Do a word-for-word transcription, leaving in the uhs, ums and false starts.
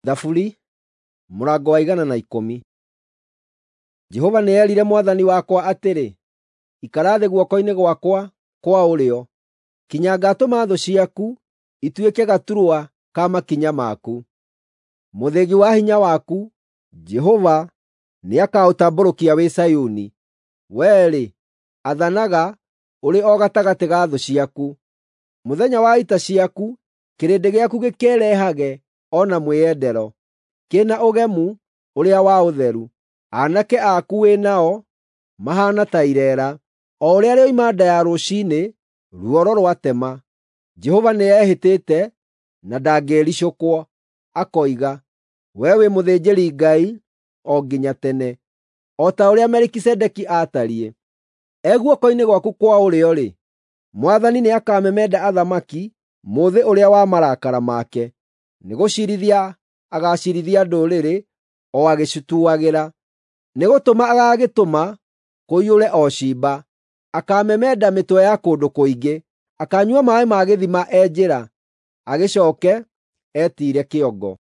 Thaburi mũrango wa igana na ikũmi. Jehova nĩerire Mwathani wakwa atĩrĩ, “Ikara thĩ guoko-inĩ gwakwa kwa ũrĩo, kinya ngaatũma thũ ciaku ituĩke gaturwa ka makinya maku.” Mũthĩgi wa hinya waku, Jehova nĩakaũtambũrũkia wĩ Zayuni. Wee-rĩ, athanaga ũrĩ o gatagatĩ ga thũ ciaku. Mũthenya wa ita ciaku kĩrĩndĩ gĩaku gĩkĩĩrehage o na mwĩendero, kĩna ũgemu ũrĩa wa ũtheru. Aanake aku wĩ nao mahaana ta ireera, o ũrĩa rĩoima nda ya rũciinĩ ruoro rwatema. Jehova nĩehĩtĩte na ndangĩĩricũkwo, akoiga, “Wee wĩ mũthĩnjĩri-Ngai o nginya tene, o ta ũrĩa Melikisedeki aatariĩ.” E guoko-inĩ gwaku kwa ũrĩo-rĩ, Mwathani nĩakamemenda athamaki mũthĩ ũrĩa wa marakara make. Nĩgũciirithia agaaciirithia ndũrĩrĩ o agĩcituagĩra. Nĩgũtũma agagĩtũma kũiyũre o ciimba. Akaamemenda mĩtwe ya kũndũ kũingĩ. Akaanyua maaĩ ma gĩthima e njĩra, agĩcooke etiire kĩongo.